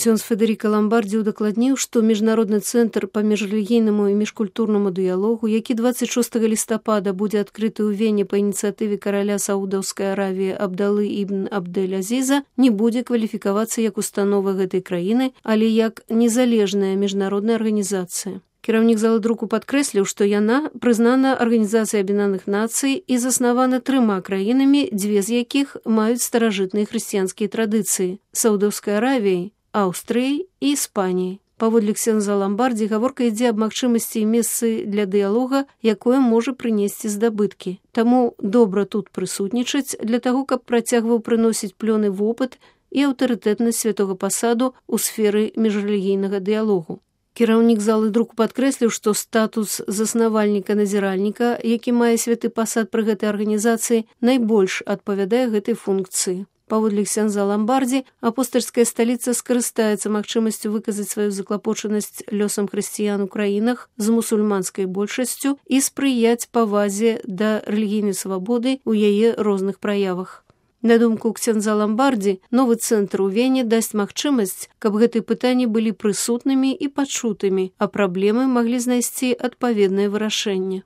Ксёндз Федэрыка Ламбардзі удакладніў, што міжнародны цэнтр па міжрэлігійнаму і міжкультурнаму дыялогу, які 26 лістапада будзе адкрыты ў Вене па ініцыятыве караля Саудаўскай Аравіі Абдалы ібн Абдэль-Азіза, не будзе кваліфікавацца як установа гэтай краіны, але як незалежная міжнародная арганізацыя. Кіраўнік залы друку падкрэсліў, што яна прызнана Арганізацыяй Аб'яднаных Нацый і заснавана 3 краінамі, 2 з якіх маюць старажытныя хрысціянскія традыцыі – Саудаўскай Аравіяй, Аўстрыяй і Іспаніяй. Паводле ксёндза Ламбардзі гаворка ідзе аб магчымасці і месцы для дыялога, якое можа прынесці здабыткі. Таму добра тут прысутнічаць для таго, каб працягваў прыносіць плёны вопыт і аўтарытэтнасць святога пасаду ў сферы міжрэлігійнага дыялогу. Кіраўнік залы друку падкрэсліў, што статус заснавальніка-назіральніка, які мае святы пасад пры гэтай арганізацыі, найбольш адпавядае гэтай функцыі. Паводле ксёндза Ламбардзі, апостальская сталіца скарыстаецца магчымасцю выказаць сваю заклапочанасць лёсам хрысціян у краінах з мусульманскай большасцю і спрыяць павазе да рэлігійнай свабоды ў яе розных праявах. На думку ксёндза Ламбардзі, новы цэнтр у Вене дасць магчымасць, каб гэтыя пытанні былі прысутнымі і пачутымі, а праблемы маглі знайсці адпаведнае вырашэнне.